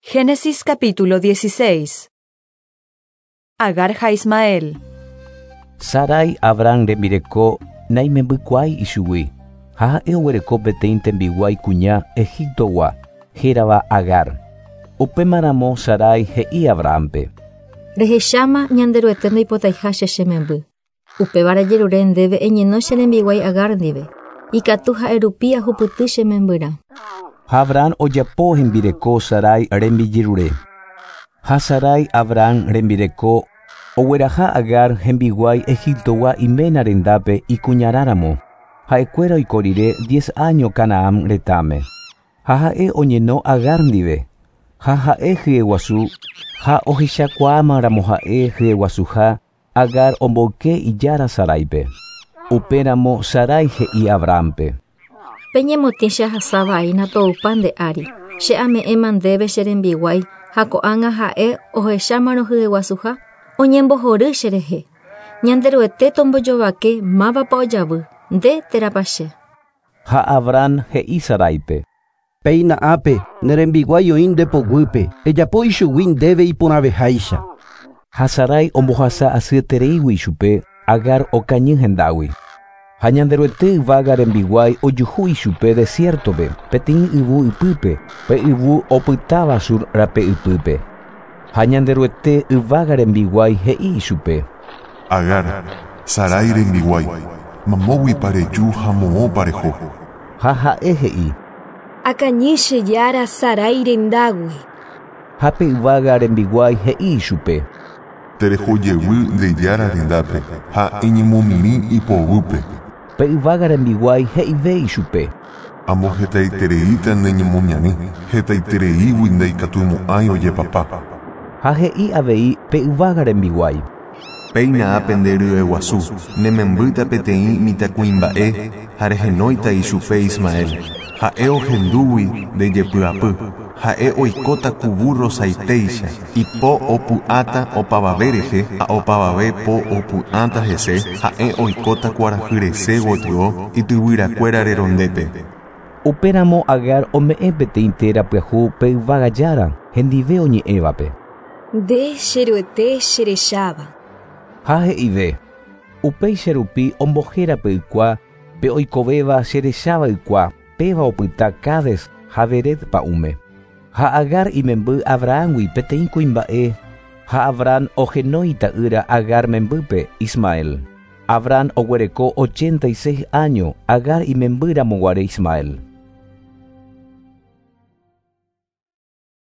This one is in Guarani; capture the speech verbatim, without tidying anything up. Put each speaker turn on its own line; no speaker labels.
Génesis capítulo dieciséis. Agar ha Ismael.
Sarai Abraham rembireko naimembykuaái ichugui. Ha ha'e oguereko peteĩ tembiguái kuña Egiptogua, hérava Agar. Upémaramo Sarai he'i Abrahampe.
Rehecháma Ñanderuete ndoipotaiha che che memby. Upévare ajerure ndéve eñeno che rembiguái Agar ndive. Ikatu ha'erupi ahupyty che membyrã.
Ha Abraham ojapo hembireko Sarai rembijerure. Ha Sarai Abraham rembireko ogueraha Agar hembiguái Egiptogua iména rendápe ikuñarãramo. Ha'ekuéra oiko rire diez año Canaán retãme. Ha ha'e oñeno Agar ndive. Ha ha'e hyeguasu ha ohechakuaámaramo ha'e hyeguasuha Agar omboyke ijára Saraipe. Upéramo Sarai he'i Abrahampe.
Peñemotĩ che ahasávaína toupa nde ári. Che ame'ẽma ndéve che rembiguái ha ko'ág̃a ha'e ohechámarõ hyeguasuha oñembohory cherehe. Ñanderuete tombojovake mávapa ojavy, nde térãpa che.
Ha Abraham he'i Saraipe.
Péina ápe ne rembiguái oĩ nde poguýpe, ejapo ichugui ndéve iporãveháicha.
Ha Sarai ombohasa asyetereígui ichupe Agar okañy hendágui. Ha Ñanderuete yvága rembiguái ojuhu ichupe desiertope, peteĩ yvu ypýpe, pe yvu opytáva Sur rape ypýpe. Ha Ñanderuete yvága rembiguái he'i ichupe.
Agar, Sarai rembiguái, mamóguipa reju ha moõpa reho.
Ha ha'e he'i.
Akañy che jára Sarai rendágui.
Ha pe yvága rembiguái he'i ichupe.
Terehojevy nde jára rendápe ha eñemomirĩ ipoguýpe.
Pe yvága rembiguái he'ive ichupe.
Ambohetaitereíta ne ñemoñare, hetaitereígui ndaikatumo'ãi ojepapa.
Ha he'i avei pe yvága rembiguái.
Péina ápe nde ryeguasu, ne membýta peteĩ mitãkuimba'e ha rehenóita ichupe Ismael. Ha'e ohendúgui nde jepy'apy, ha'e oikóta ku burro saitéicha, ipo opu'ãta opavave rehe ha opavave po opu'ãta hese, ha'e oikóta kuarahyresẽ gotyo ityvyrakuéra rerondépe.
Upéramo Agar ome'ẽ peteĩ téra pyahu pe yvága jára, hendive oñe'ẽvape.
Nde cheruete cherecháva.
Ha he'ive. Upéicha rupi ombohéra pe ykua, pe oikovéva cherecháva ykua, péva opyta Cades ha Bered pa'ũme. Ha Agar imemby Abrahamgui peteĩ kuimba'e, ha Abraham ohenói ta'ýra Agar membýpe Ismael. Abraham oguereko ochenta y seis año Agar imembýramo guare Ismael.